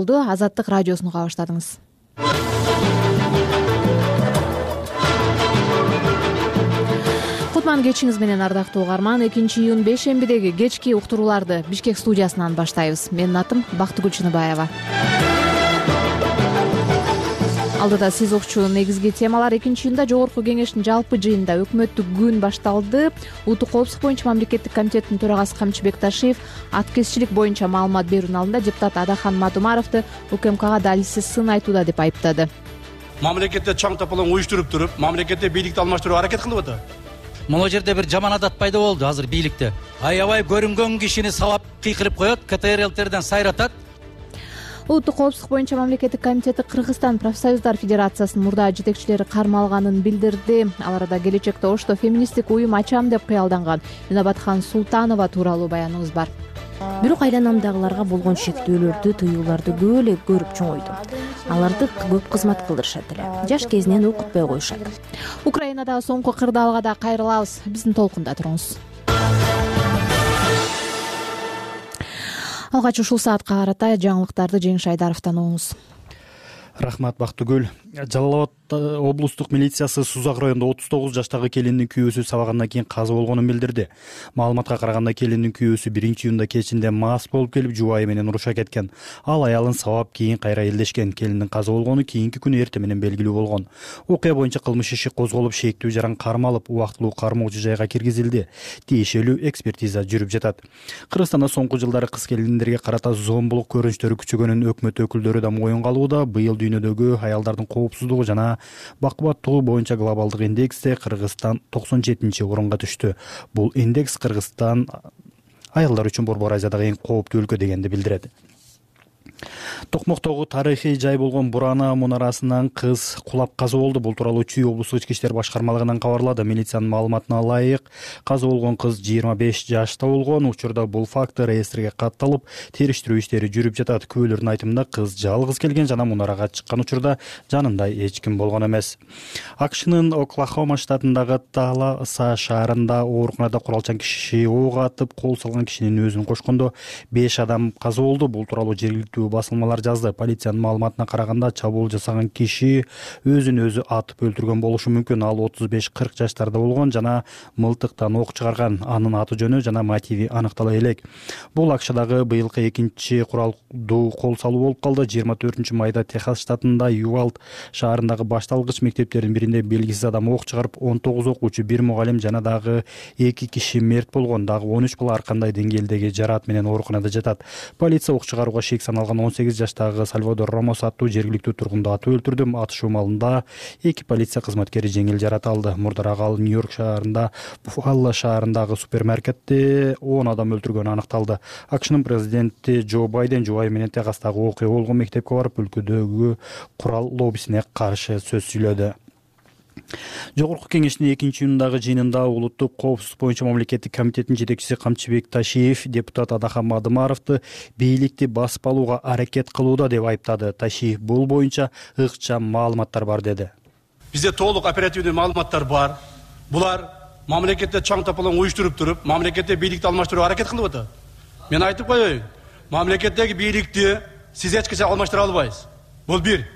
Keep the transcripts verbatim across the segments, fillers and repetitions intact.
Азаттык радиосун уга баштадыңыз. Кутман кечиңиз менен ардактуу угарман. экинчи июнь бейшембидеги кечки уктурууларды Бишкек студиясынан баштайбыз. Менин атым Бактыгүл Чыныбаева. Алдыда сиз укчу негизги темалар. экинчи июнда Жогорку кеңештин жалпы жыйынында өкмөттүк күн башталды. Улуттук коопсуздук боюнча мамлекеттик комитеттин төрагасы Камчыбек Ташиев аткезчилик боюнча маалымат берүүнүн алдында депутат Адахан Мадумаровду УКМКга далилсиз сын айтууда деп айыптады. Мамлекетте чаң тополоң уюштуруп туруп, мамлекетте бийликти алмаштырууга аракет кылып атат. Могу жерде бир жаман адат пайда болду азыр бийликте. Аябай көрүнгөн кишини сабап кыйкырып коет, КТРЛтерден сайратат. Улуттук коопсуздук боюнча мамлекеттик комитети Кыргызстан профсоюздар федерациясынын мурда жетекчилери кармалганын билдирди. Ал арада келечекте Ошто феминисттик уюм ачам деп кыялданган Минабатхан Султанова тууралуу баяныбыз бар. Бирок айланамдагыларга болгон шектөөлөрдү, тыюуларды көп эле көрүп чоңойдум. Аларды көп кызмат кылдырышат эле. Жаш кезинен окутпой коюшат. Украинадагы соңку кырдаалга да кайрылабыз. Биздин толкунда туруңуз. Алгач ушул саатка карата жаңылыктарды Жеңиш Айдаровдон угуңуз. Рахмат Бактыгүл. Жалал Абад облустук милициясы Сузак районунда отуз тогуз жаштагы келиндин күйөөсү сабагандан кийин каза болгонун билдирди. Маалыматка караганда келиндин күйөөсү биринчи июнда кечинде мас болуп келип жубайы менен уруша кеткен. Ал аялын сабап кийин кайра элдешкен. Келиндин каза болгону кийинки күнү эртең менен белгилүү болгон. Окуя боюнча кылмыш иши козголуп, шээктүү жаран кармалып, убактылуу кармоочу жайга киргизилди. Тиешелүү экспертиза жүрүп жатат. Кыргызстанда соңку жылдары кыз келиндерге карата зомбулук көрүнүштөрү күчөгөнүн өкмөт өкүлдөрү да моюнга алууда. Быйыл дүйнөдөгү аялдардын коопсуздугу жана бакубаттуулугу боюнча глобалдык индексте Кыргызстан токсон жетинчи орунга түштү. Бул индекс Кыргызстан аялдар үчүн Борбор Азиядагы эң кооптуу өлкө дегенди билдирет. Токмоктогу тарыхый жай болгон Бурана мунарасынан кыз кулап каза болду. Бул тууралуу Чүй облустук ички иштер башкармалыгынан кабарлады. Милициянын маалыматына ылайык, каза болгон кыз жыйырма беш жашта болгон. Учурда бул факт реестрге катталып, териштирүү иштери жүрүп жатат. Күбөлөрдүн айтымында кыз жалгыз келген жана мунарага чыккан учурда жанында эч ким болгон эмес. АКШнын Оклахома штатындагы Таласа шаарында ооруканада куралчан киши ок атып, кол салган кишинин өзүн кошкондо беш адам каза болду. Бул тууралуу жергиликтүү басылмалар жазды. Полициянын маалыматына караганда чабуул жасаган киши өзүн өзү атып өлтүргөн болушу мүмкүн. Ал отуз беш кырк жаштарда болгон жана мылтыктан ок чыгарган. Анын аты жөнү жана мотиви аныктала элек. Бул АКШдагы быйылкы экинчи куралдуу кол салуу болуп калды. жыйырма төртүнчү майда Техас штатында Ювалд шаарындагы башталгыч мектептердин биринде белгисиз адам ок чыгарып, он тогуз окуучу, бир мугалим жана дагы эки киши мерт болгон. Дагы он үч бала ар кандай деңгээлдеги жараат менен ооруканада жатат. Полиция ок чыгарууга шек саналган он сегиз жаштагы Сальвадор Рамос аттуу жергиликтүү тургунду атып өлтүрдү. Атышуу маалында эки полиция кызматкери жеңил жараат алды. Мурдараак ал Нью-Йорк шаарында Буффало шаарындагы супермаркетте он адам өлтүргөнү аныкталды. АКШнын президенти Джо Байден жубайы менен Техастагы окуя болгон мектепке барып, өлкөдөгү курал лоббисине каршы сөз сүйлөдү. Жогорку кеңештин экинчи июндагы жыйынында улуттук коопсуздук боюнча мамлекеттик комитеттин жетекчиси Камчыбек Ташиев депутат Адахан Мадумаровду бийликти басып алууга аракет кылууда деп айыптады. Ташиев бул боюнча ыкчам маалыматтар бар деди. Бизде толук оперативдүү маалыматтар бар. Булар мамлекетте чаң тополоң уюштуруп туруп, мамлекетте бийликти алмаштырууга аракет кылып атат. Мен айтып коеюн, мамлекеттеги бийликти сиз эч качан алмаштыра албайсыз. Бул бир.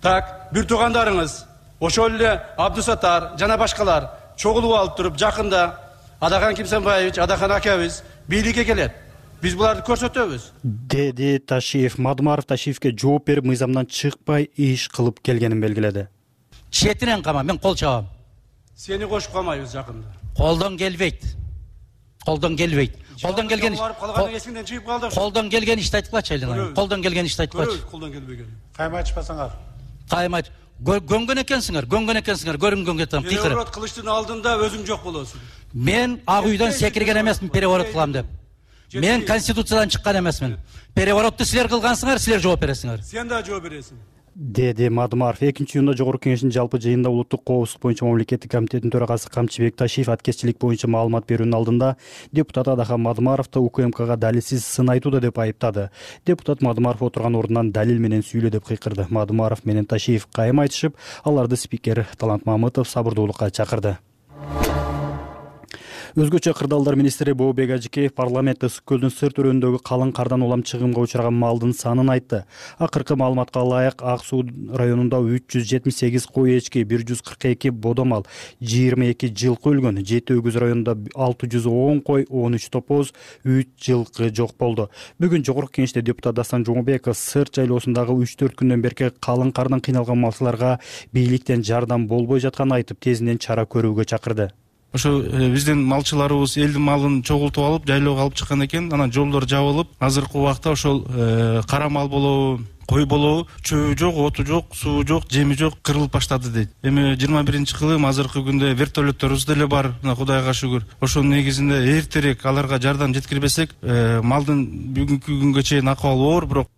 Так, бир туугандарыңыз ошол эле Абдусаттар жана башкалар чогулуп алып туруп, жакында Адахан Кимсенбаевич, Адахан акабыз бийликке келет. Биз буларды көрсөтөбүз, деди Ташиев. Мадумаров Ташиевке жооп берип, мыйзамдан чыкпай иш кылып келгенин белгиледи. Четинен кама, мен кол чабам. Сени кошуп калмайбыз жакында. Колдон келбейт. Колдон келбейт. Колдон келген иш. Колдон келген ишти айтып калчы айлана. Колдон келген ишти айтып калчы. Колдон келбеген. Кайма айтпасаңар. Кайма гөнгөн экенсиңер, гөнгөн экенсиңер, көрүнгөнгө там кыйкырып. Переворот кылыштын алдында өзүң жок болосуң. Мен ак үйдөн секирген эмесмин переворот кылам деп. Мен конституциядан чыккан эмесмин. Переворотты силер кылгансыңар, силер жооп бересиңер. Сен да жооп бересиң. деди Мадумаров. экинчи июнда Жогорку кеңештин жалпы жыйынында улуттук коопсуздук боюнча мамлекеттик комитеттин төрагасы Камчыбек Ташиев аткезчилик боюнча маалымат берүүнүн алдында депутат Адахан Мадумаровду УКМКга далилсиз сын айтууда деп айыптады. Депутат Мадумаров отурган ордунан далил менен сүйлө деп кыйкырды. Мадумаров менен Ташиев кайым айтышып, аларды спикер Талант Мамытов сабырдуулукка чакырды. Өзгөчө кырдаалдар министри Бообек Ажикеев парламентте Ысык көлдүн сырт өрөөнүндөгү калың кардан улам чыгымга учураган малдын санын айтты. Акыркы маалыматка ылайык Ак Суу районунда үч жүз жетимиш сегиз кой эчки, бир жүз кырк эки бодомал, жыйырма эки жылкы өлгөн. Жети Өгүз районунда алты жүз он кой, он үч топоз, үч жылкы жок болду. Бүгүн Жогорку Кеңеште депутат Дастан Жумабеков сырт жайлоосундагы үч төрт күндөн берки калың кардан кыйналган малчыларга бийликтен жардам болбой жатканын айтып, тезинен чара көрүүгө чакырды. Ошо биздин малчыларыбыз элдин малын чогултуп алып, жайлоого алып чыккан экен. Анан жолдор жабылып, азыркы убакта ошол кара мал болобу, кой болобу, чөбү жок, оту жок, суу жок, жеми жок, кырылып баштады дейт. Эми жыйырма биринчи кылым азыркы күндө вертолетторубуз деле бар, мына Кудайга шүгүр. Ошонун негизинде эртерээк аларга жардам жеткирбесек, малдын бүгүнкү күнгө чейин акыбалы оор, бирок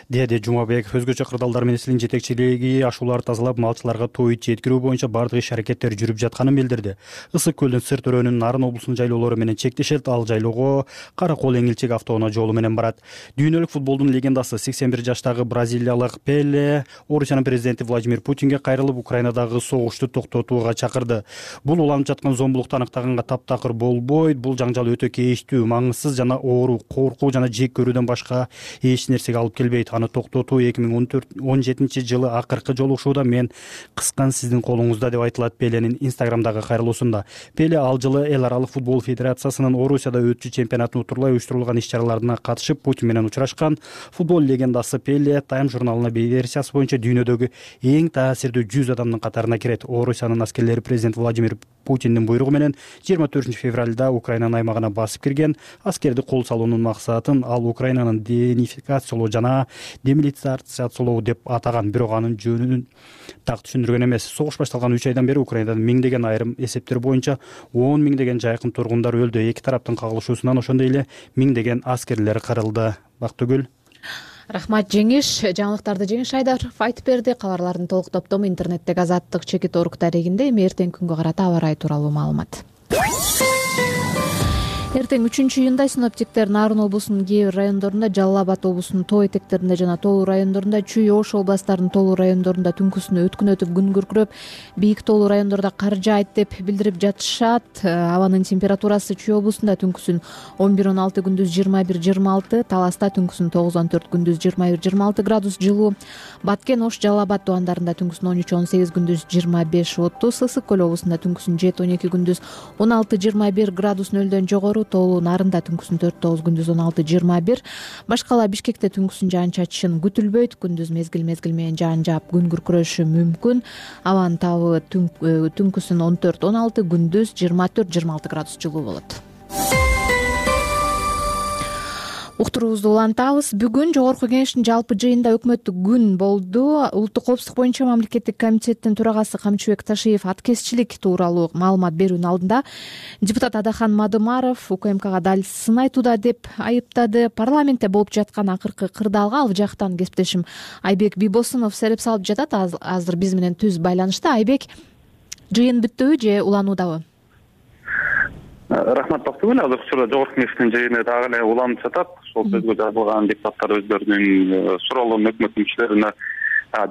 деди Жумабеков. Өзгөчө кырдаалдар министринин жетекчилиги ашууларды тазалап, малчыларга той жеткирүү боюнча бардык иш-аракеттер жүрүп жатканын билдирди. Ысык көлдүн сырт өрөөнүн Нарын облусунун жайлоолору менен чектешет, ал жайлоого Кара Кол Эңилчек автоунаа жолу менен барат. Дүйнөлүк футболдун легендасы сексен бир жаштагы бразилиялык Пеле Орусиянын президенти Владимир Путинге кайрылып, Украинадагы согушту токтотууга чакырды. Бул уланып жаткан зомбулукту аныктаганга таптакыр болбойт. Бул жаңжал өтө кейиштүү, маңызсыз жана оору, коркуу жана жек көрүүдөн башка эч нерсеге алып келбейт. Аны токтотуу эки миң он төрт он жетинчи жылы акыркы жолугушууда мен кыскан сиздин колуңузда деп айтылат Пеленин инстаграмдагы кайрылуусунда. Пеле ал жылы эл аралык футбол федерациясынын Орусияда өтчү чемпионатын утурлай уюштурулган иш-чараларына катышып Путин менен учурашкан. Футбол легендасы Пеле Time журналына версиясы боюнча дүйнөдөгү эң таасирдүү жүз адамдын катарына кирет. Орусиянын аскерлери президент Владимир Путиндин буйругу менен жыйырма төртүнчү февралда Украинанын аймагына басып кирген. Аскерди кол салуунун максатын ал Украинанын денификациялоо жана демилитаризациялоо деп атаган, бирок анын жөнүн так түшүндүргөн эмес. Согуш башталган үч айдан бери Украинада миңдеген, айрым эсептер боюнча он миңдеген жайкын тургундар өлдү. Эки тараптын кагылышуусунан ошондой эле миңдеген аскерлер кырылды. Бактыгүл. Рахмат Жеңиш. Жаңылыктарды Жеңиш Айдаров айтып берди. Кабарлардын толук топтому интернеттеги Азаттык чекит орг дарегинде. Эми эртеңки күнгө карата аба ырайы тууралуу маалымат. Эртең үчүнчү июнда синоптиктер Нарын облусунун кээ бир райондорунда, Жалал Абад облусунун тоо этектеринде жана Тоолуу райондорунда, Чүй Ош областарынын Тоолуу райондорунда түнкүсүн өткүн өтүп күн күркүрөп, бийик Тоолуу райондордо кар жаайт деп билдирип жатышат. Абанын температурасы Чүй облусунда түнкүсүн он бир он алты, күндүз жыйырма бир жыйырма алты, Таласта түнкүсүн тогуз он төрт, күндүз жыйырма бир жыйырма алты градус жылуу. Баткен, Ош, Жалал Абад тубандарында түнкүсүн он үч он сегиз, күндүз жыйырма беш отуз, Ысык көл облусунда түнкүсүн жети он эки, күндүз он алты жыйырма бир градус нөлдөн жогору, Тоолуу Нарында түнкүсүн төрт тогуз, күндүз он алты жыйырма бир. Башкала Бишкекте түнкүсүн жаан чачышын күтүлбөйт, күндүз мезгил мезгил менен жаан жаап күн күркүрөшү мүмкүн. Абанын табы түнкүсүн он төрт он алты, күндүз жыйырма төрт жыйырма алты градус жылуу болот. Уктуруубузду улантабыз. Бүгүн Жогорку Кеңештин жалпы жыйынында өкмөттүк күн болду. Улуттук коопсуздук боюнча мамлекеттик комитеттин төрагасы Камчыбек Ташиев аткезчилик тууралуу маалымат берүүнүн алдында депутат Адахан Мадымаров УКМКга дал сын айтууда деп айыптады. Парламентте болуп жаткан акыркы кырдаалга ал жактан кесиптешим Айбек Бийбосунов сереп салып жатат. Азыр биз менен түз байланышта. Айбек, жыйын бүттүбү же улануудабы? Рахмат Бактыгүл. Азыркы учурда Жогорку Кеңештин жыйыны дагы эле уланып жатат. Ошол сөзгө жазылган депутаттар өздөрүнүн суроолорун өкмөт мүчөлөрүнө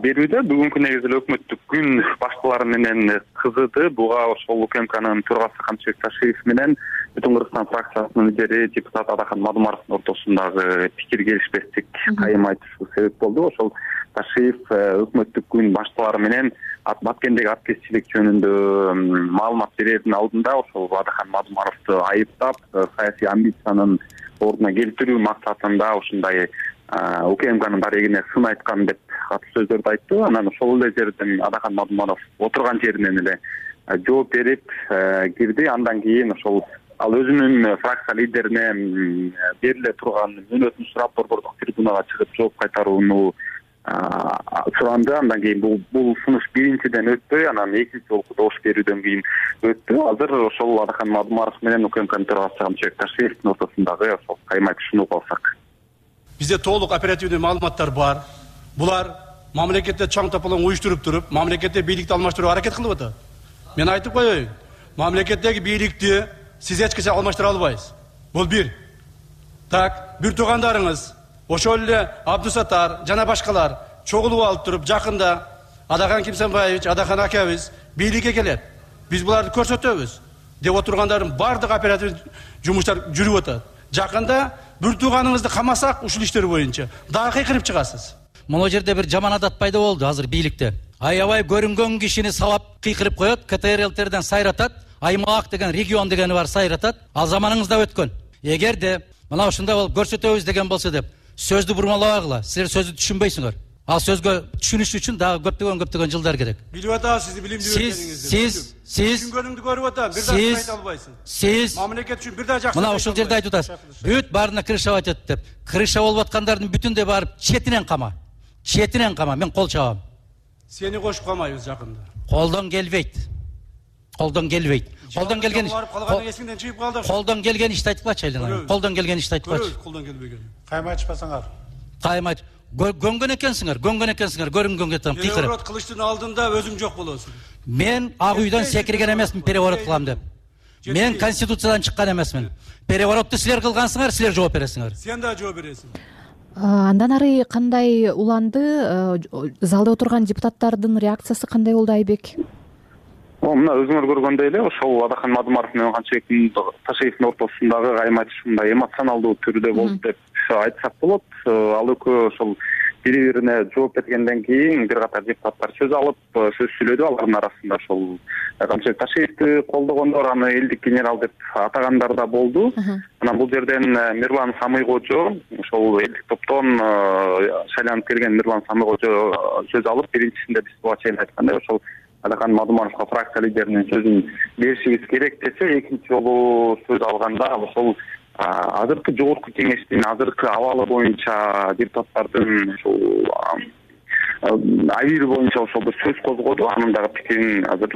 берүүдө. Бүгүнкү негизи эле өкмөттүк күн башкалары менен кызыды. Буга ошол УКМКнын төрагасы Камчыбек Ташиев менен Бүтүн Кыргызстан фракциясынын лидери депутат Адахан Мадымаровдун ортосундагы пикир келишпестик кайым айтышы себеп болду. Ошол Ташиев өкмөттүк күн башчылары менен Баткендеги аткезчилик жөнүндө маалымат берердин алдында ошол Адахан Мадымаровду айыптап, саясий амбициянын ордуна келтирүү максатында ушундай УКМКнын дарегине сын айткан деп катуу сөздөрдү айтты. Анан ошол эле жерден Адахан Мадымаров отурган жеринен эле жооп берип кирди. Андан кийин ошол ал өзүнүн фракция лидерине бериле турган мөөнөтүн сурап борбордук трибунага чыгып жооп кайтарууну суранды. Андан кийин бул бул сунуш биринчиден өтпөй, анан экинчи жолку добуш берүүдөн кийин өттү. Азыр ошол Адахан Мадымаров менен УКМКнын төрагасы Камчыбек Ташиевдин ортосундагы ошол кайым айтышууну угуп алсак. Бизде толук оперативдүү маалыматтар бар. Булар мамлекетте чаң тополоң уюштуруп туруп, мамлекетте бийликти алмаштырууга аракет кылып атат. Мен айтып коеюн, мамлекеттеги бийликти сиз эч качан алмаштыра албайсыз. Бул бир. Так, бир туугандарыңыз ошол эле Абдусаттар жана башкалар чогулуп алып туруп, жакында Адахан Кимсанбаевич, Адахан акабыз бийликке келет. Биз буларды көрсөтөбүз. деп отургандардын баардык оператив жумуштар жүрүп атат. Жакында бир тууганыңызды камасак ушул иштер боюнча дагы кыйкырып чыгасыз. Могу жерде бир жаман адат пайда болду азыр бийликте. Аябай көрүнгөн кишини сабап кыйкырып коет, КТРЛтерден сайратат, аймак деген, регион дегени бар сайратат. Ал заманыңызда өткөн. Эгерде мына ушундай болуп көрсөтөбүз деген болсо деп сөздү бурмалабагыла. Силер сөздү түшүнбөйсүңөр. Ал сөзгө түшүнүш үчүн дагы көптөгөн көптөгөн жылдар керек. Билип атабыз сизди билимдүү экениңизди. Сиз сиз түшүнгөнүңдү көрүп атам. Бир дагы айта албайсың. Сиз мамлекет үчүн бир дагы жакшы. Мына ушул жерде айтып атасыз. Бүт баарына крыша батат деп. Крыша болуп аткандардын бүтүндө барып четинен кама. Четинен кама. Мен кол чабам. Сени кошуп калмайбыз жакында. Колдон келбейт. Колдон келбейт. Колдон келген калганы эсиңден чыгып калды. Колдон келген ишти айтпачы айлана. Колдон келген ишти айтпачы. Колдон келбеген. Кайма айтпасаңар. Кайма айт. Гөнгөн экенсиңер, гөнгөн экенсиңер, көрүнгөнгө там кыйкырып. Переворот кылыштын алдында өзүң жок болосуң. Мен ак үйдөн секирген эмесмин переворот кылам деп. Мен конституциядан чыккан эмесмин. Переворотты силер кылгансыңар, силер жооп бересиңер. Сен да жооп бересиң. Андан ары кандай уланды? Залда отурган депутаттардын реакциясы кандай болду, Айбек? Мына өзүңөр көргөндөй эле ошол Адахан Мадумаров менен Канчыбек Ташиевдин ортосундагы кайма айтыш мындай эмоционалдуу түрдө болду деп айтсак болот. Ал экөө ошол бири-бирине жооп бергенден кийин бир катар депутаттар сөз алып, сөз сүйлөдү. Алардын арасында ошол Канчыбек Ташиевди колдогондор, аны элдик генерал деп атагандар да болду. Анан бул жерден Мирлан Самыйкожо, ошол элдик топтон шайланып келген Мирлан Самыйкожо сөз алып, биринчисинде биз буга чейин айткандай ошол Адахан Мадумаровго фракция лидеринин сөзүн беришибиз керек десе, экинчи жолу сөз алганда ошол азыркы жогорку кеңештин азыркы абалы боюнча депутаттардын ошол абийири боюнча ошол бир сөз козгоду. Анын дагы пикирин азыр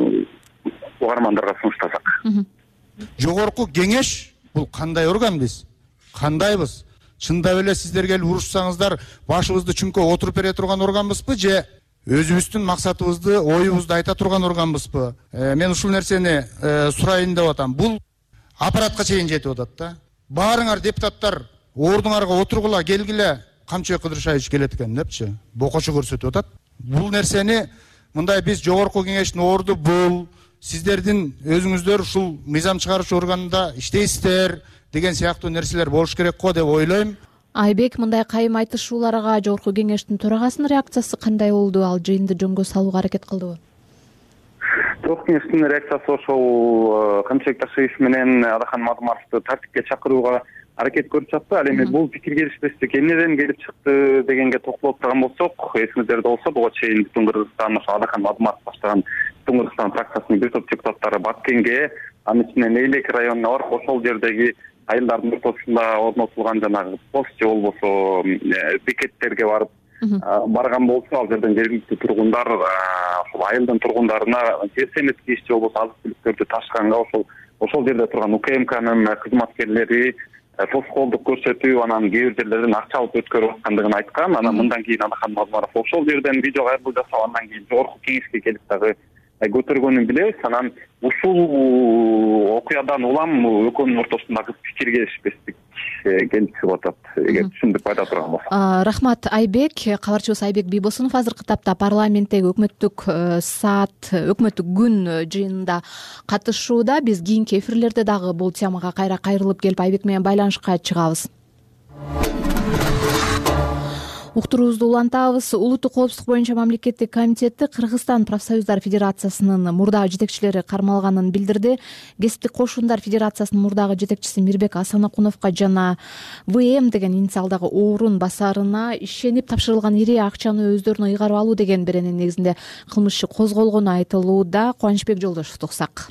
угармандарга сунуштасак. Жогорку кеңеш бул кандай орган биз? Кандайбыз? Чындап эле сиздер келип урушсаңыздар башыбызды чүңкө отуруп бере турган органбызбы же өзүбүздүн максатыбызды, оюбузду айта турган органбызбы? Мен ушул нерсени сурайын деп атам. Бул аппаратка чейин жетип атат да. Баарыңар депутаттар ордуңарга отургула, келгиле, Камчыбек Кыдыршаевич келет экен депчи, бокочу көрсөтүп атат. Бул нерсени мындай биз жогорку кеңештин орду бул, сиздердин өзүңүздөр ушул мыйзам чыгаруучу органда иштейсиздер деген сыяктуу нерселер болуш керек го деп ойлойм. Айбек, мындай кайым айтышууларга жогорку кеңештин төрагасынын реакциясы кандай болду? Ал жыйынды жөнгө салууга аракет кылдыбы? Жогорку кеңештин реакциясы ошол Камчыбек Ташиев менен Адахан Мадумаровду тартипке чакырууга аракет көрүп жатты. Ал эми бул пикир келишпестик эмнеден келип чыкты дегенге токтолуп турган болсок, эсиңиздерде болсо, буга чейин бүтүн Кыргызстан ошо Адахан Мадумаров баштаган бүтүн Кыргызстан фракциясынын бир топ депутаттары Баткенге, анын ичинен Эйлек районуна барып, ошол жердеги айылдардын ортосунда орнотулган жанагы пост же болбосо бекеттерге барып барган болсо, ал жерден жергиликтүү тургундар ошол айылдын тургундарына жер семеткич же болбосо азык түлүктөрдү ташканга ошол ошол жерде турган УКМКнын кызматкерлери тоскоолдук көрсөтүп, анан кээ бир жерлерден акча алып өткөрүп аткандыгын айткан. Анан мындан кийин Адахан Мадумаров ошол жерден видео кайрылуу жасап, андан кийин жогорку кеңешке келип дагы көтөргөнүн билебиз. Анан ушул окуядан улам экөөнүн ортосундагы пикир келишпестик келип чыгып атат, эгер түшүндүк айта турган болсок. Рахмат, Айбек. Кабарчыбыз Айбек Бийбосунов азыркы тапта парламенттеги өкмөттүк саат, өкмөттүк күн жыйынында катышууда. Биз кийинки эфирлерде дагы бул темага кайра кайрылып келип Айбек менен байланышка чыгабыз. Уктуруубузду улантабыз. Улуттук коопсуздук боюнча мамлекеттик комитети Кыргызстан профсоюздар федерациясынын мурдагы жетекчилери кармалганын билдирди. Кесиптик кошундар федерациясынын мурдагы жетекчиси Мирбек Асанакуновго жана ВМ деген инициалдагы орун басарына ишенип тапшырылган ири акчаны өздөрүнө ыйгарып алуу деген беренин негизинде кылмыш иши козголгону айтылууда. Кубанычбек Жолдошевди уксак.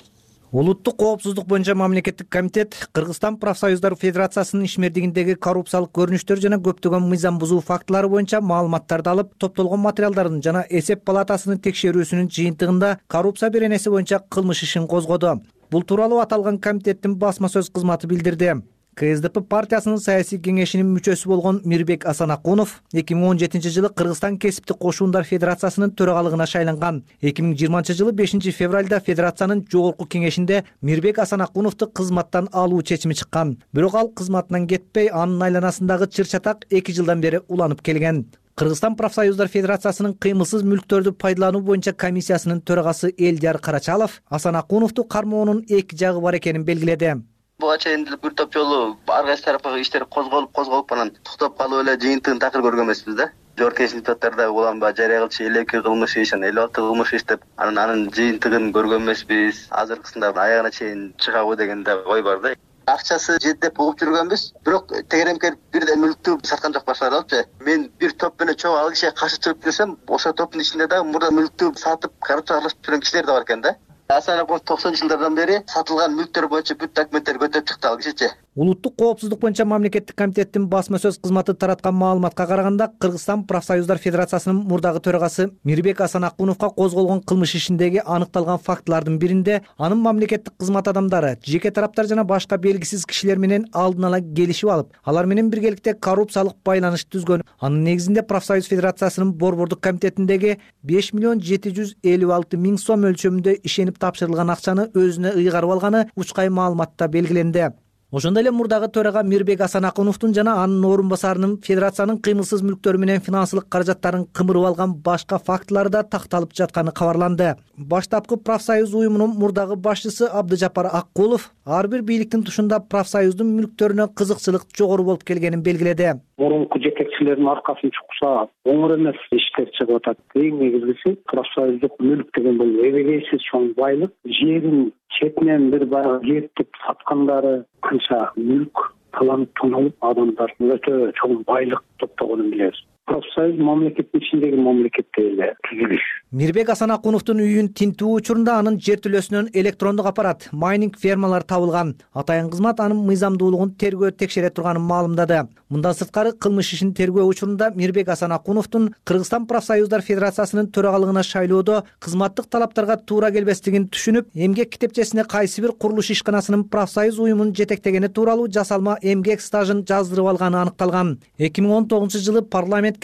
Улуттук коопсуздук боюнча мамлекеттик комитет Кыргызстан профсоюздар федерациясынын ишмердигиндеги коррупциялык көрүнүштөр жана көптөгөн мыйзам бузуу фактылары боюнча маалыматтарды алып, топтолгон материалдардын жана эсеп палатасынын текшерүүсүнүн жыйынтыгында коррупция беренеси боюнча кылмыш ишин козгоду. Бул тууралуу аталган комитеттин басма сөз кызматы билдирди. КСДП партиясынын саясий кеңешинин мүчөсү болгон Мирбек Асанакунов эки миң он жетинчи жылы Кыргызстан кесиптик кошундар федерациясынын төрагалыгына шайланган. эки миң жыйырманчы жылы бешинчи февралда федерациянын жогорку кеңешинде Мирбек Асанакуновду кызматтан алуу чечими чыккан. Бирок ал кызматынан кетпей, анын айланасындагы чыр-чатак эки жылдан бери уланып келген. Кыргызстан профсоюздар федерациясынын кыймылсыз мүлктөрдү пайдалануу боюнча комиссиясынын төрагасы Элдияр Карачалов Асан Акуновду кармоонун эки жагы бар экенин белгиледи. Буга чейин бир топ жолу ар кайсы тарапка иштер козголуп козголуп анан токтоп калып эле жыйынтыгын такыр көргөн эмеспиз да. Жогорку кеңештин депутаттары улам жарыя кылчу элүү эки кылмыш иш, элүү алты кылмыш иш деп анан анын жыйынтыгын көргөн эмеспиз. Азыркысында аягына чейин чыгабы деген да ой бар да. Акчасы жетип угуп жүргөнбүз, бирок тегеремкер бирден мүлктү саткан жок башкалар алыпчы. Мен бир топ менен чогуу ал кишиге каршы чыгып жүрсөм, ошол топтун ичинде дагы мурда мүлктү сатып, коррупцияга аралашып жүргөн кишилер да бар экен да. Асан Акунов токсонунчу жылдардан бери сатылган мүлктөр боюнча бүт документтерди көтөрүп чыкты ал кишичи. Улуттук коопсуздук боюнча мамлекеттик комитеттин басма сөз кызматы тараткан маалыматка караганда, Кыргызстан профсоюздар федерациясынын мурдагы төрагасы Мирбек Асан Акуновго козголгон кылмыш ишиндеги аныкталган фактылардын биринде анын мамлекеттик кызмат адамдары, жеке тараптар жана башка белгисиз кишилер менен алдын ала келишип алып, алар менен биргеликте коррупциялык байланыш түзгөн. Анын негизинде профсоюз федерациясынын борбордук комитетиндеги беш миллион жети жүз элүү алты миң сом өлчөмүндө ишенип тапшырылган акчаны өзүнө ыйгарып алганы учкай маалыматта белгиленди. Ошондой эле мурдагы төрага Мирбек Асан Акуновдун жана анын орун басарынын федерациянын кыймылсыз мүлктөрү менен финансылык каражаттарын кымырып алган башка фактылары да такталып жатканы кабарланды. Баштапкы профсоюз уюмунун мурдагы башчысы Абдыжапар Аккулов ар бир бийликтин тушунда профсоюздун мүлктөрүнө кызыкчылык жогору болуп келгенин белгиледи. Мурунку жетекчилердин аркасын чукса оңор эмес иштер чыгып атат. Эң негизгиси профсоюздук мүлк деген бул эбегейсиз чоң байлык. Жерин четинен бир баягы кертип саткандары канча мүлк таланып тоналып адамдардын өтө чоң байлык топтогонун билебиз. Профсоюз мамлекеттин ичиндеги мамлекеттеги эле түзүлүш. Мирбек Асан Акуновдун үйүн тинтүү учурунда анын жертөлөсүнөн электрондук аппарат, майнинг фермалар табылган. Атайын кызмат анын мыйзамдуулугун тергөө текшере турганын маалымдады. Мындан сырткары кылмыш ишин тергөө учурунда Мирбек Асан Акуновдун Кыргызстан профсоюздар федерациясынын төрагалыгына шайлоодо кызматтык талаптарга туура келбестигин түшүнүп, эмгек китепчесине кайсы бир курулуш ишканасынын профсоюз уюмун жетектегени тууралуу жасалма эмгек стажын жаздырып алганы аныкталган. эки миң он тогузунчу жылы парламент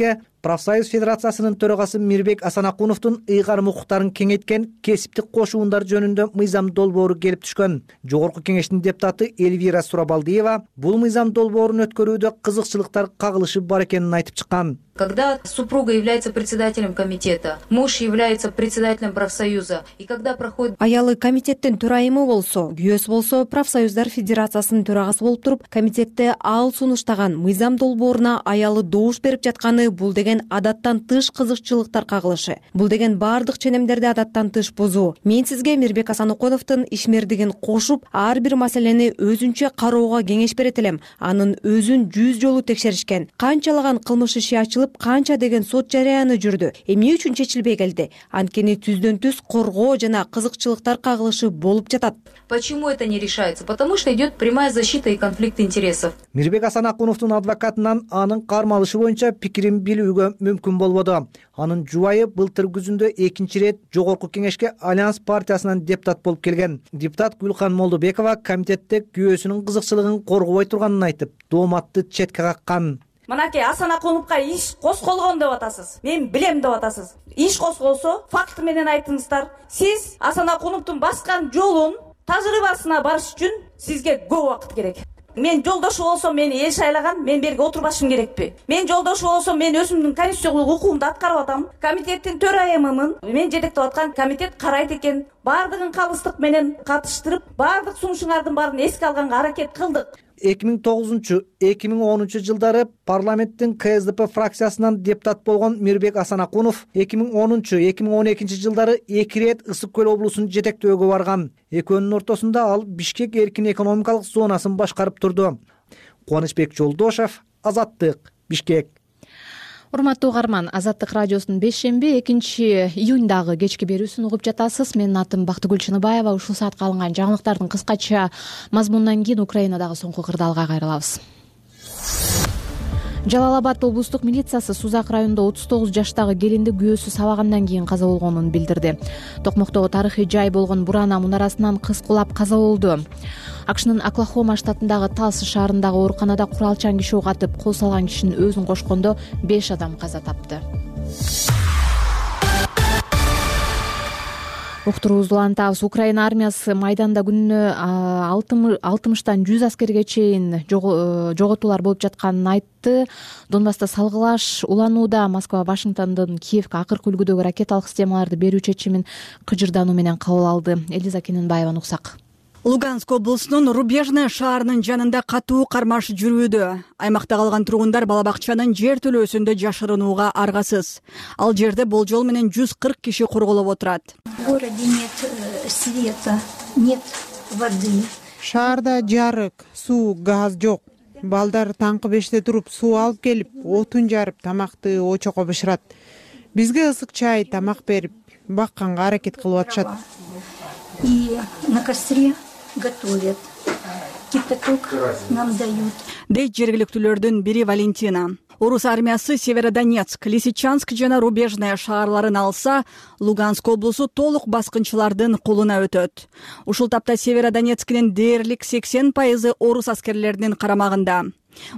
профсоюз федерациясынын төрагасы Мирбек Асан Акуновдун ыйгарым укуктарын кеңейткен кесиптик кошуундар жөнүндө мыйзам долбоору келип түшкөн. Жогорку кеңештин депутаты Эльвира Сурабалдиева бул мыйзам долбоорун өткөрүүдө кызыкчылыктар кагылышы бар экенин айтып чыккан. Когда супруга является председателем комитета, муж является председателем профсоюза, и когда проходит... Аялы комитеттин төрайымы болсо, күйөөсү болсо, профсоюздар федерациясынын төрагасы болуп туруп, комитетте ал сунуштаган мыйзам долбооруна аялы добуш берип жатканы бул деген адаттан тыш кызыкчылыктар кагылышы. Бул деген бардык ченемдерди адаттан тыш бузуу. Мен сизге Мирбек Асан Акуновдун ишмердигин кошуп, ар бир маселени өзүнчө кароого кеңеш берет элем. Анын өзүн жүз жолу текшеришкен. Канчалаган кылмыш иши ачылып, канча деген сот жарыяны жүрдү. Эмне үчүн чечилбей келди? Анткени түздөн түз коргоо жана кызыкчылыктар кагылышы болуп жатат. Почему это не решается? Потому что идет прямая защита и конфликт интересов. Мирбек Асан Акуновдун адвокатынан анын кармалышы боюнча пикирин билүүгө мүмкүн болбоду. Анын жубайы былтыр күзүндө экинчи ирет жогорку кеңешке Альянс партиясынан депутат болуп келген. Депутат Гүлхан Молдобекова комитетте күйөөсүнүн кызыкчылыгын коргобой турганын айтып, дооматты четке каккан. Мынакей Асан Акуновго иш козголгон деп атасыз. Мен билем деп атасыз. Иш козголсо, факты менен айтыңыздар. Сиз Асан Акуновдун баскан жолун тажрыйбасына барыш үчүн сизге көп убакыт керек. Мен жолдошу болсом, мени эл шайлаган, мен берге отурбашым керекпи? Мен жолдошу болсом, мен өзүмдүн конституциялык укугумду аткарып атам. Комитеттин төрайымымын. Мен жетектеп аткан комитет карайт экен. Бардыгын калыстык менен катыштырып, бардык сунушуңардын баарын эске алганга аракет кылдык. эки миң тогузунчу — эки миң онунчу жылдары парламенттин К С Д П фракциясынан депутат болгон Мирбек Асан Акунов эки миң онунчу — эки миң он экинчи жылдары эки ирет Ысык көл облусун жетектөөгө барган. Экөөнүн ортосунда ал Бишкек эркин экономикалык зонасын башкарып турду. Кубанычбек Жолдошев, Азаттык, Бишкек. Урматтуу угарман, Азаттык радиосунун бешемби экинчи июндагы кечки берүүсүн угуп жатасыз. Менин атым Бактыгүл Чыныбаева. Ушул саатка алынган жаңылыктардын кыскача мазмунунан кийин Украинадагы соңку кырдаалга кайрылабыз. Жалал Абад облустук милициясы Сузак районунда отуз тогуз жаштагы келинди күйөөсү сабагандан кийин каза болгонун билдирди. Токмоктогу тарыхый жай болгон Бурана мунарасынан кыз кулап каза болду. АКШнын Оклахома штатындагы Талс шаарындагы ооруканада куралчан киши ок атып, кол салган кишинин өзүн кошкондо беш адам каза тапты. уктуруубузду улантабыз. Украина армиясы майданда күнүнө алтымыштан жүз аскерге чейин жоготуулар болуп жатканын айтты. Донбасста салгылаш уланууда. Москва Вашингтондон Киевге акыркы үлгүдөгү ракеталык системаларды берүү чечимин кыжырдануу менен кабыл алды. Элиза Кененбаеваны уксак. Луганск облусунун Рубежная шаарынын жанында катуу кармаш жүрүүдө. Аймакта калган тургундар бала бакчанын жер төлөөсүндө жашырынууга аргасыз. Ал жерде болжол менен жүз кырк киши корголоп отурат. В городе нет света, нет воды. Шаарда жарык, суу, газ жок. Балдар таңкы беште туруп суу алып келип, отун жарып, тамакты очокко бышырат. Бизге ысык чай, тамак берип, бакканга аракет кылып атышат. И на костре готовят. Кипяток нам дают. Дейт жергиликтүүлөрдүн бири Валентина. Орус армиясы Северодонецк, Лисичанск жана Рубежная шаарларын алса, Луганск облусу толук баскынчылардын колуна өтөт. Ушул тапта Северодонецктин дээрлик сексен пайызы орус аскерлеринин карамагында.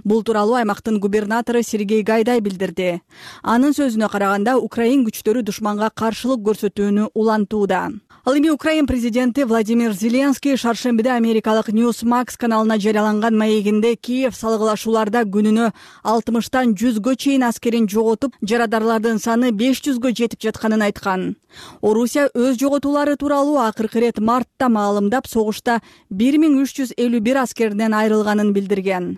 Бул тууралуу аймактын губернатору Сергей Гайдай билдирди. Анын сөзүнө караганда, Украин күчтөрү душманга каршылык көрсөтүүнү улантууда. Ал эми Украин президенти Владимир Зеленский шаршембиде америкалык Newsmax каналына жарыяланган маегинде Киев салгылашууларда күнүнө алтымыштан жүзгө чейин аскерин жоготуп, жарадарлардын саны беш жүзгө жетип жатканын айткан. Орусия өз жоготуулары тууралуу акыркы ирет мартта маалымдап, согушта бир миң үч жүз элүү бир аскерден айрылганын билдирген.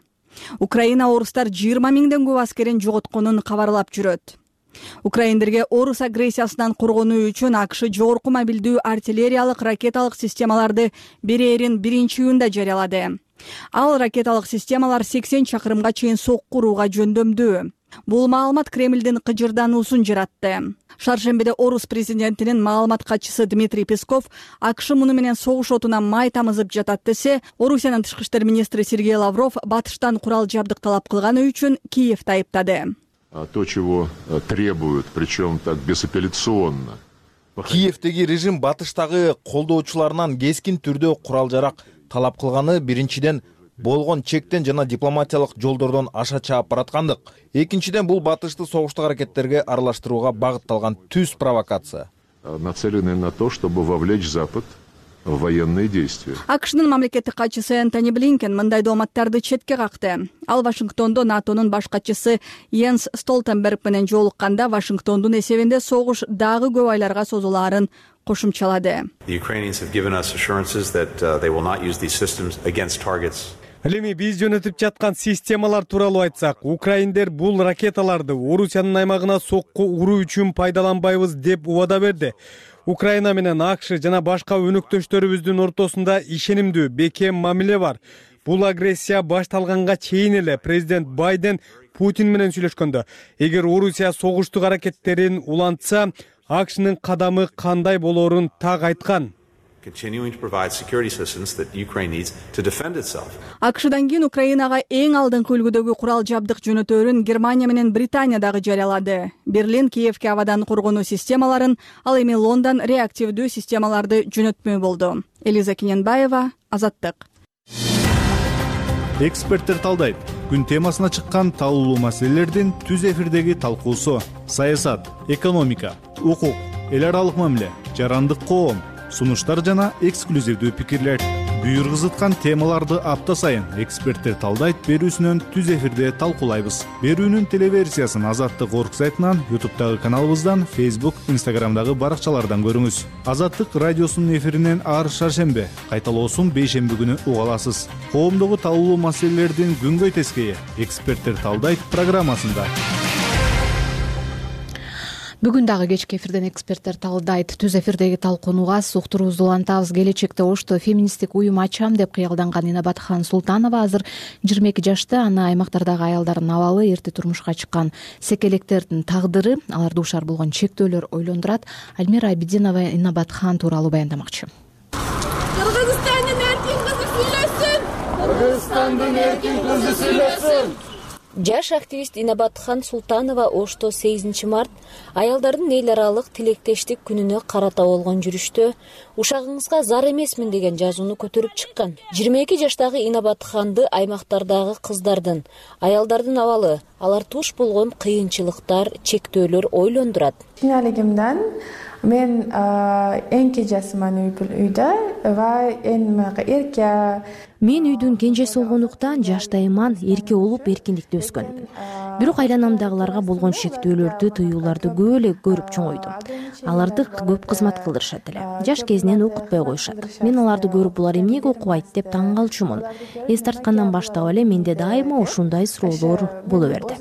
Украина орустар жыйырма миңден көп аскерин жоготконун кабарлап жүрөт. Украиндерге орус агрессиясынан коргонуу үчүн АКШ жогорку мобилдүү артиллериялык ракеталык системаларды берерин биринчи июнда жарыялады. Ал ракеталык системалар сексен чакырымга чейин сокку урууга жөндөмдүү. Бул маалымат Кремлдин кыжырдануусун жаратты. Шаршембиде орус президентинин маалымат катчысы Дмитрий Песков АКШ муну менен согуш отуна май тамызып жатат десе, Орусиянын тышкы иштер министри Сергей Лавров батыштан курал жабдык талап кылганы үчүн Киевди айыптады. То, чего требуют, причем так безапелляционно. Киевдеги режим батыштагы колдоочуларынан кескин түрдө курал-жарак талап кылганы биринчиден болгон чектен жана дипломатиялык жолдордон аша чаап бараткандык. Экинчиден бул батышты согуштук аракеттерге аралаштырууга багытталган түз провокация. Нацелены на то, чтобы вовлечь Запад в военные действия. АКШнын мамлекеттик катчысы Энтони Блинкен мындай дооматтарды четке какты. Ал Вашингтондо НАТОнун баш катчысы Йенс Столтенберг менен жолукканда Вашингтондун эсебинде согуш дагы көп айларга созулаарын кошумчалады. Ал эми биз жөнөтүп жаткан системалар тууралуу айтсак, украиндер бул ракеталарды Орусиянын аймагына сокку уруу үчүн пайдаланбайбыз деп убада берди. Украина менен АКШ жана башка өнөктөштөрүбүздүн ортосунда ишенимдүү, бекем мамиле бар. Бул агрессия башталганга чейин эле президент Байден Путин менен сүйлөшкөндө, эгер Орусия согуштук аракеттерин улантса, АКШнын кадамы кандай болоорун так айткан. АКШдан кийин Украинага эң алдыңкы үлгүдөгү курал жабдык жөнөтөөрүн Германия менен Британия дагы жарыялады. Берлин Киевге абадан коргонуу системаларын, ал эми Лондон реактивдүү системаларды жөнөтмөй болду. Элиза Кененбаева, Азаттык. Эксперттер талдайт. Күн темасына чыккан талуулуу маселелердин түз эфирдеги талкуусу: саясат, экономика, укук, эл аралык мамиле, жарандык коом, сунуштар жана эксклюзивдүү пикирлер. Буйргызыткан темаларды апта сайын эксперттер талдайт берүүсүнөн түз эфирде талкуулайбыз. Берүүнүн телеверсиясын Азаттык орг сайтынан, ютубтагы каналыбыздан, фейсбук, инстаграмдагы баракчалардан көрүңүз. Азаттык радиосунун эфиринен ар шаршембе, кайталоосун бейшемби күнү уга аласыз. Коомдогу талуулуу маселелердин күнгөй тескейи эксперттер талдайт программасында. Бүгүн дагы кечки эфирден эксперттер талдайт. Түз эфирдеги талкууга уктуруубузду улантабыз. Келечекте Ошто феминисттик уюм ачам деп кыялданган Инабатхан Султанова азыр жыйырма эки жашта. Аны аймактардагы аялдардын абалы, эрте турмушка чыккан секелектердин тагдыры, алар дуушар болгон чектөөлөр ойлондурат. Альмира Абидинова Инабатхан тууралуу баяндамакчы. Кыргызстандын эркин кызы сүйлөсүн! Кыргызстандын эркин кызы сүйлөсүн! Жаш активист Инабатхан Султанова Ошто сегизинчи март аялдардын эл аралык тилектештик күнүнө карата болгон жүрүштө ушагыңызга зар эмесмин деген жазууну көтөрүп чыккан. жыйырма эки жаштагы Инабатханды аймактардагы кыздардын, аялдардын абалы, алар туш болгон кыйынчылыктар, чектөөлөр ойлондурат. Кийинелигимден мен эң кенжесимин үйдө ва эң эрке. Мен үйдүн кенжеси болгондуктан жаштайыман эрке болуп эркиндикте өскөнмүн. Бирок айланамдагыларга болгон шектөөлөрдү, тыюуларды көп эле көрүп чоңойдум. Аларды көп кызмат кылдырышат эле. Жаш кезинен окутпай коюшат. Мен аларды көрүп булар эмнеге окубайт деп таң калчумун. Эс тарткандан баштап эле менде дайыма ушундай суроолор боло берди.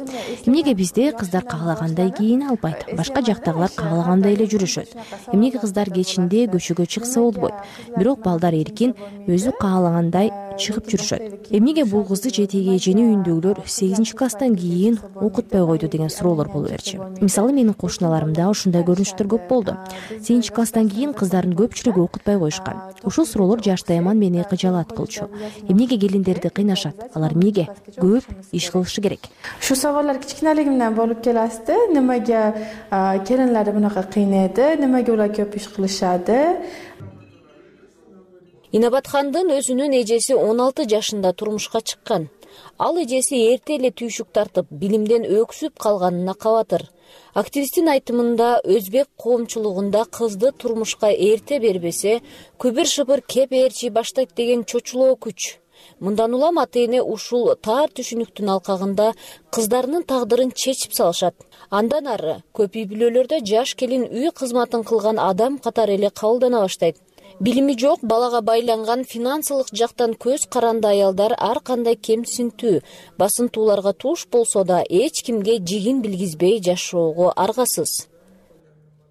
Эмнеге бизде кыздар каалагандай кийине албайт? Башка жактагылар каалагандай эле жүрүшөт. Эмнеге кыздар кечинде көчөгө чыкса болбойт? Бирок балдар эркин өзү каалагандай чыгып жүрүшөт. Эмнеге бул кызды жетеги эжени үйүндөгүлөр сегизинчи класстан кийин окутпай койду деген суроолор боло берчү. Мисалы менин кошуналарымда ушундай көрүнүштөр көп болду. сегизинчи класстан кийин кыздардын көпчүлүгү окутпай коюшкан. Ушул суроолор жаштайыман мени кыжаалат кылчу. Эмнеге келиндерди кыйнашат? Алар эмнеге көп иш кылышы керек? Ушу сабалlar кичинелигимден болуп келасты. Немеге келинлерди мынакай кыйнайды? Немеге улар көп иш кылышады? Инабатхандын өзүнүн эжеси он алты жашында турмушка чыккан. Ал эжеси эрте эле түйшүк тартып, билимден өксүп калганына кабатыр. Активисттин айтымында өзбек коомчулугунда кызды турмушка эрте бербесе, күбүр-шыбыр кеп ээрчи баштайт деген чочулоо күч. Мындан улам ата-эне ушул тар түшүнүктүн алкагында кыздарынын тагдырын чечип салышат. Андан ары көп үй бүлөлөрдө жаш келин үй кызматын кылган адам катары эле кабылдана баштайт. Билими жок, балага байланган, финансылык жактан көз каранды аялдар ар кандай кемсинтүү, басынтууларга туш болсо да эч кимге жигин билгизбей жашоого аргасыз.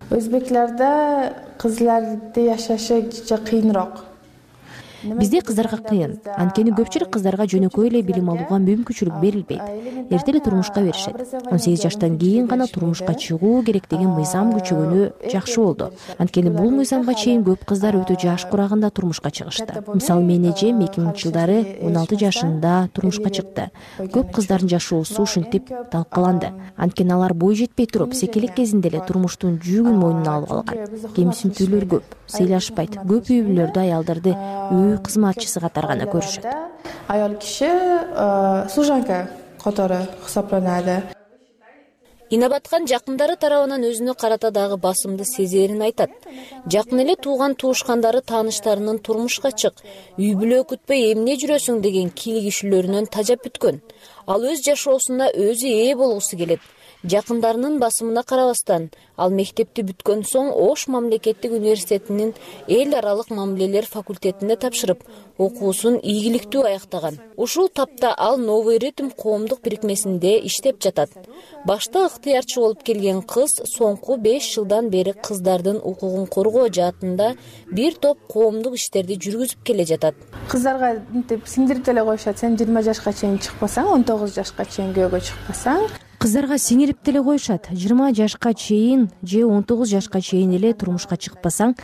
Өзбеклерде кызларды жашашы кыйынраак. Бизде кыздарга кыйын. Анткени көпчүлүк кыздарга жөнөкөй эле билим алууга мүмкүнчүлүк берилбейт. Эрте эле турмушка беришет. он сегиз жаштан кийин гана турмушка чыгуу керек деген мыйзам күчөгөнү жакшы болду. Анткени бул мыйзамга чейин көп кыздар өтө жаш курагында турмушка чыгышты. Мисалы менин эжем эки миңинчи жылдары он алты жашында турмушка чыкты. Көп кыздардын жашоосу ушинтип талкаланды. Анткени алар бой жетпей туруп, секелек кезинде эле турмуштун жүгүн мойнуна алып алган. Кемсинтүүлөр көп, сыйлашпайт. Көп үй бүлөлөрдө аялдарды үй кызматчысы катары гана көрүшөт. Аял киши служанка катары хисапланады. Инабатхан жакындары тарабынан өзүнө карата дагы басымды сезерин айтат. Жакын эле тууган туушкандары тааныштарынын турмушка чык, үй бүлө күтпөй эмне жүрөсүң деген кийлигишүүлөрүнөн тажап бүткөн. Ал өз жашоосуна өзү ээ болгусу келет. Жакындарынын басымына карабастан, ал мектепти бүткөн соң Ош мамлекеттик университетинин эл аралык мамилелер факультетине тапшырып, окуусун ийгиликтүү аяктаган. Ушул тапта ал Новый ритм коомдук бирикмесинде иштеп жатат. Башта ыктыярчы болуп келген кыз соңку беш жылдан бери кыздардын укугун коргоо жаатында бир топ коомдук иштерди жүргүзүп келе жатат. Кыздарга мынтип сиңдирип деле коюшат. Сен жыйырма жашка чейин чыкпасаң, он тогуз жашка чейин күйөөгө чыкпасаң, кыздарга сиңирип деле коюшат. жыйырма жашка чейин же он тогуз жашка чейин эле турмушка чыкпасаң,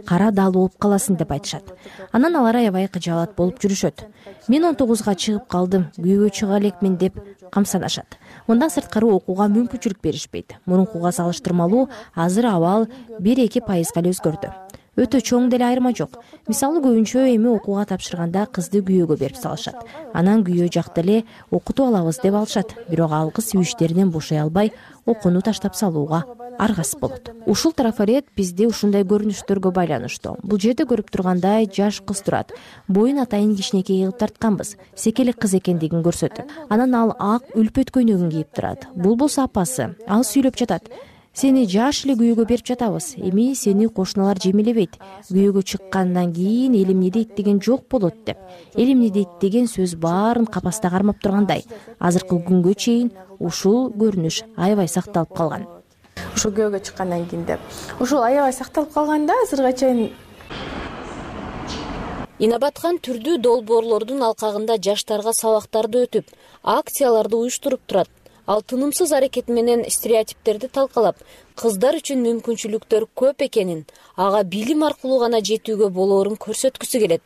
кара дал болуп каласың деп айтышат. Анан алар аябай кыжаалат болуп жүрүшөт. Мен он тогузга чыгып калдым, күйөөгө чыга элекмин деп камсанашат. Мындан сырткары окууга мүмкүнчүлүк беришпейт. Мурункуга салыштырмалуу азыр абал бир эки пайызга эле өзгөрдү. Өтө чоң деле айырма жок. Мисалы көбүнчө эми окууга тапшырганда кызды күйөөгө берип салышат. Анан күйөө жакта эле окутуп алабыз деп алышат. Бирок ал кыз үй иштеринен бошой албай, окууну таштап салууга аргасыз болот. Ушул трафарет бизде ушундай көрүнүштөргө байланыштуу. Бул жерде көрүп тургандай жаш кыз турат. Боюн атайын кичинекей кылып тартканбыз. Секелек кыз экендигин көрсөтөт. Анан ал ак үлпөт көйнөгүн кийип турат. Бул болсо апасы. Ал сүйлөп жатат. Сени жаш эле күйөөгө берип жатабыз. Эми сени кошуналар жемелебейт. Күйөөгө чыккандан кийин эл эмне дейт деген жок болот деп. Эл эмне дейт деген сөз баарын капаста кармап тургандай. Азыркы күнгө чейин ушул көрүнүш аябай сакталып калган. Ушул күйөөгө чыккандан кийин деп. Ушул аябай сакталып калганда азырга чейин Инабатхан түрдүү долбоорлордун алкагында жаштарга сабактарды өтүп, акцияларды уюштуруп турат. Ал тынымсыз аракет менен стереотиптерди талкалап, кыздар үчүн мүмкүнчүлүктөр көп экенин, ага билим аркылуу гана жетүүгө болоорун көрсөткүсү келет.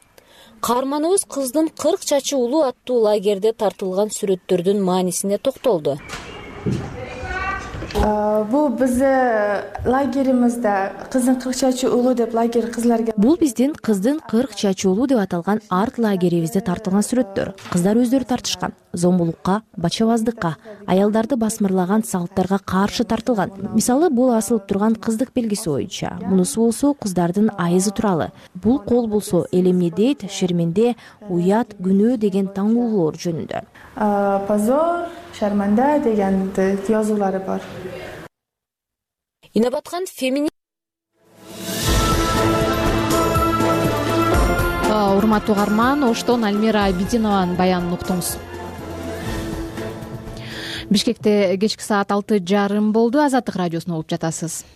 Каарманыбыз кыздын кырк чачы улуу аттуу лагерде тартылган сүрөттөрдүн маанисине токтолду. бул биздин лагеримизде кыздын кырк чачы уулу деп лагерь кызларга бул биздин кыздын кырк чачы уулу деп аталган арт лагерибизде тартылган сүрөттөр. Кыздар өздөрү тартышкан. Зомбулукка, бачабаздыкка, аялдарды басмырлаган салттарга каршы тартылган. Мисалы, бул асылып турган кыздык белгиси боюнча. Мунусу болсо кыздардын айызы тууралуу. Бул кол болсо эл эмне дейт, шерменде, уят, күнөө деген таңуулоор жөнүндө. Позор, шарманда деген жазуулары бар. Инабаткан фемини урматтуу угарман, оштон Альмира Абидинованын баянын уктуңуз. Бишкекте кечки саат алты жарым болду. Азаттык радиосуна угуп жатасыз.